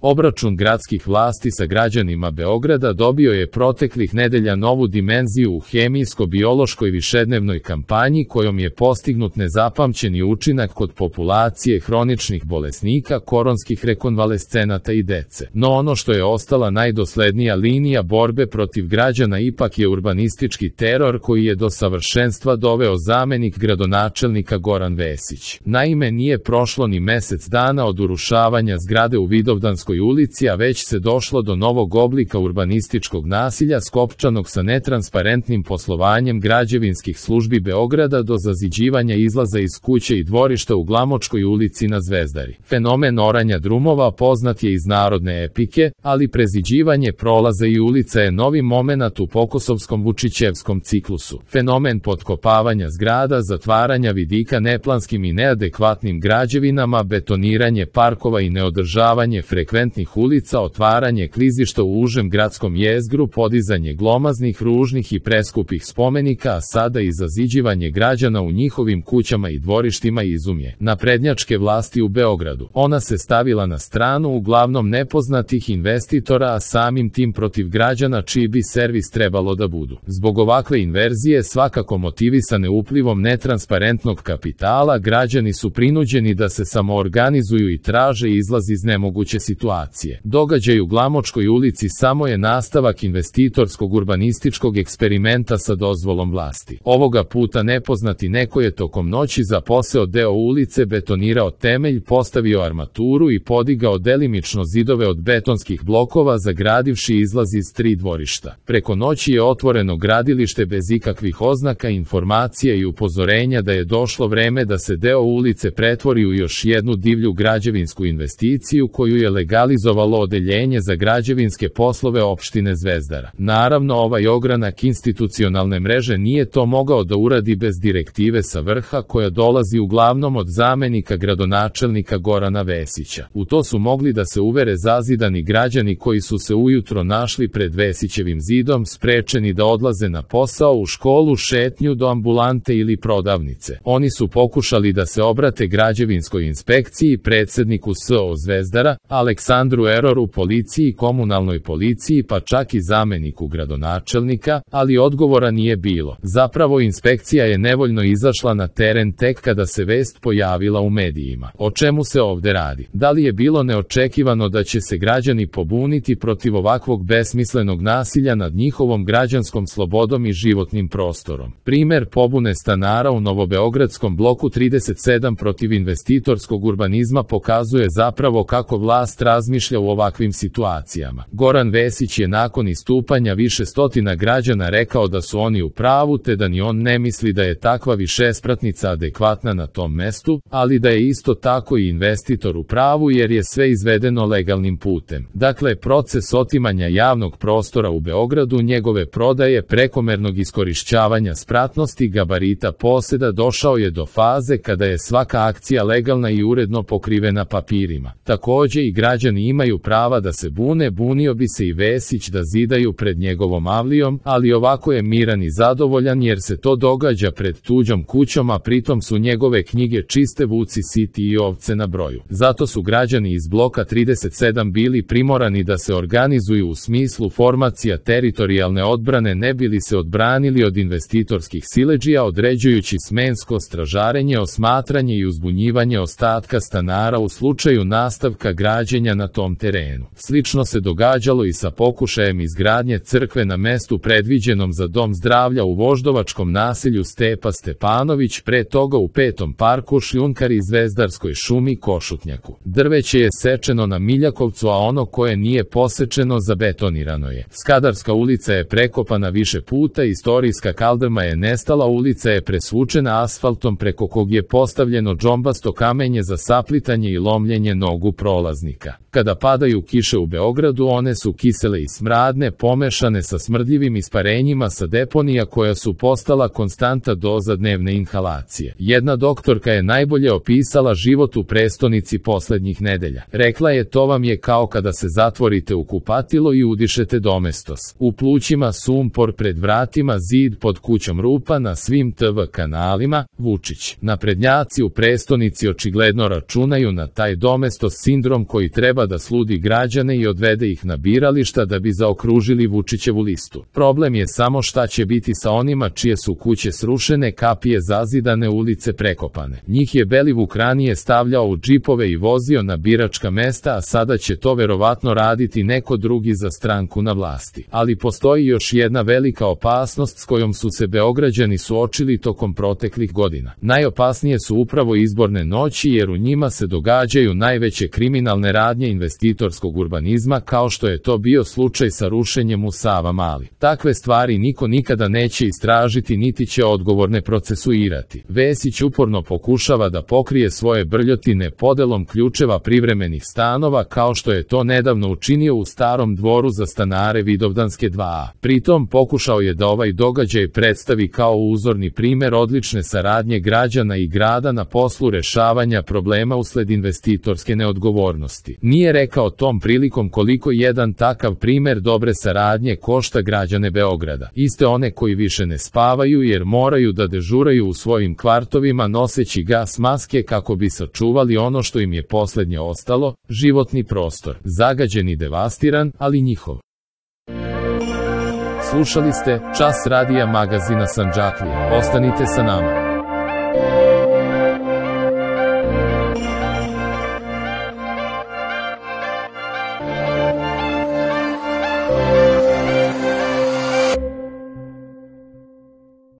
Obračun gradskih vlasti sa građanima Beograda dobio je proteklih nedelja novu dimenziju u hemijsko-biološkoj višednevnoj kampanji kojom je postignut nezapamćeni učinak kod populacije hroničnih bolesnika, koronskih rekonvalescenata i dece. No ono što je ostala najdoslednija linija borbe protiv građana ipak je urbanistički teror koji je do savršenstva doveo zamenik gradonačelnika Goran Vesić. Naime, nije prošlo ni mesec dana od urušavanja zgrade u Vidovdanskoj ulici, a već se došlo do novog oblika urbanističkog nasilja skopčanog sa netransparentnim poslovanjem građevinskih službi Beograda do zaziđivanja izlaza iz kuće i dvorišta u Glamočkoj ulici na Zvezdari. Fenomen oranja drumova poznat je iz narodne epike, ali preziđivanje prolaza i ulica je novi momenat u pokosovskom Vučićevskom ciklusu. Fenomen potkopavanja zgrada, zatvaranja vidika neplanskim i neadekvatnim građevinama, betoniranje parkova i neodržavanje frekventnih ulica, otvaranje klizišta u užem gradskom jezgru, podizanje glomaznih, ružnih i preskupih spomenika, a sada i zaziđivanje građana u njihovim kućama i dvorištima izumje naprednjačke vlasti u Beogradu. Ona se stavila na stranu uglavnom nepoznatih investitora, a samim tim protiv građana čiji bi servis trebalo da budu. Zbog ovakve inverzije, svakako motivisane uplivom netransparentnog kapitala, građani su prinuđeni da se samoorganizuju i traže izlaz iz nemoguće situacije. Događaj u Glamočkoj ulici samo je nastavak investitorskog urbanističkog eksperimenta sa dozvolom vlasti. Ovoga puta nepoznati neko je tokom noći zaposeo deo ulice, betonirao temelj, postavio armaturu i podigao delimično zidove od betonskih blokova, zagradivši izlaz iz 3 dvorišta. Preko noći je otvoreno gradilište bez ikakvih oznaka, informacija i upozorenja da je došlo vreme da se deo ulice pretvori u još jednu divlju građevinsku investiciju koju je legalizovalo odeljenje za građevinske poslove opštine Zvezdara. Naravno, ovaj ogranak institucionalne mreže nije to mogao da uradi bez direktive sa vrha koja dolazi uglavnom od zamenika gradonačelnika Gorana Vesića. U to su mogli da se uvere zazidani građani koji su se ujutro našli pred Vesićevim zidom, sprečeni da odlaze na posao, u školu, šetnju do ambulante ili prodavnice. Oni su pokušali da se obrate građevinskoj inspekciji, predsedniku SO Zvezdara, Aleksandru Eroru, policiji, komunalnoj policiji, pa čak i zameniku gradonačelnika, ali odgovora nije bilo. Zapravo inspekcija je nevoljno izašla na teren tek kada se vest pojavila u medijima. O čemu se ovde radi? Da li je bilo neočekivano da će se građani pobuniti protiv ovakvog besmislenog nasilja nad njihovom građanskom slobodom i životnim prostorom? Primer pobune stanara u novobeogradskom bloku 37 protiv investitorskog urbanizma pokazuje zapravo kako vlast razmišlja u ovakvim situacijama. Goran Vesić je nakon istupanja više stotina građana rekao da su oni u pravu, te da ni on ne misli da je takva višespratnica adekvatna na tom mestu, ali da je isto tako i investitor u pravu jer je sve izvedeno legalnim putem. Dakle, proces otimanja javnog prostora u Beogradu, njegove prodaje, prekomernog iskorišćavanja spratnosti, gabarita poseda došao je do faze kada je svaka akcija legalna i uredno pokrivena papirima. Takođe i građani imaju prava da se bune, bunio bi se i Vesić da zidaju pred njegovom avlijom, ali ovako je miran i zadovoljan jer se to događa pred tuđom kućom, a pritom su njegove knjige čiste, vuci siti i ovce na broju. Zato su građani iz bloka 37 bili primorani da se organizuju u smislu formacija teritorijalne odbrane ne bili se odbranili od investitorskih siledžija, određujući smensko stražarenje, osmatranje i uzbunjivanje ostatka stanara u slučaju nastavka građenja na tom terenu. Slično se događalo i sa pokušajem izgradnje crkve na mestu predviđenom za dom zdravlja u voždovačkom naselju Stepa Stepanović, pre toga u 5. parku Šljunkari i Zvezdarskoj šumi Košutnjaku. Drveće je sečeno na Miljakovcu, a ono koje nije posečeno zabetonirano je. Skadarska ulica je prekopana više puta, istorijska kaldrma je nestala, ulica je presvučena asfaltom preko kog je postavljeno džombasto kamenje za saplitanje i lomljenje nogu prolaznika. Kada padaju kiše u Beogradu, one su kisele i smradne, pomešane sa smrdljivim isparenjima sa deponija koja su postala konstanta doza dnevne inhalacije. Jedna doktorka je najbolje opisala život u prestonici poslednjih nedelja. Rekla je: to vam je kao kada se zatvorite u kupatilo i udišete domestos. U plućima sumpor, pred vratima zid, pod kućom rupa, na svim TV kanalima Vučić. Naprednjaci u prestonici očigledno računaju na taj domestos sindrom koji treba da sludi građane i odvede ih na birališta da bi zaokružili Vučićevu listu. Problem je samo šta će biti sa onima čije su kuće srušene, kapije zazidane, ulice prekopane. Njih je Belivuk ranije stavljao u džipove i vozio na biračka mesta, a sada će to verovatno raditi neko drugi za stranku na vlasti. Ali postoji još jedna velika opasnost s kojom su se Beograđani suočili tokom proteklih godina. Najopasnije su upravo izborne noći, jer u njima se događaju najveće kriminalne radnje investitorskog urbanizma, kao što je to bio slučaj sa rušenjem u Savamali. Takve stvari niko nikada neće istražiti niti će odgovorne procesuirati. Vesić uporno pokušava da pokrije svoje brljotine podelom ključeva privremenih stanova, kao što je to nedavno učinio u Starom dvoru za stanare Vidovdanske 2a. Pritom pokušao je da ovaj događaj predstavi kao uzorni primer odlične saradnje građana i grada na poslu rešavanja problema usled investitorske neodgovornosti. Nije rekao tom prilikom koliko jedan takav primer dobre saradnje košta građane Beograda. Iste one koji više ne spavaju jer moraju da dežuraju u svojim kvartovima noseći gas maske kako bi sačuvali ono što im je poslednje ostalo, životni prostor. Zagađen i devastiran, ali njihov. Slušali ste Čas radija magazina Sandžaklija. Ostanite sa nama.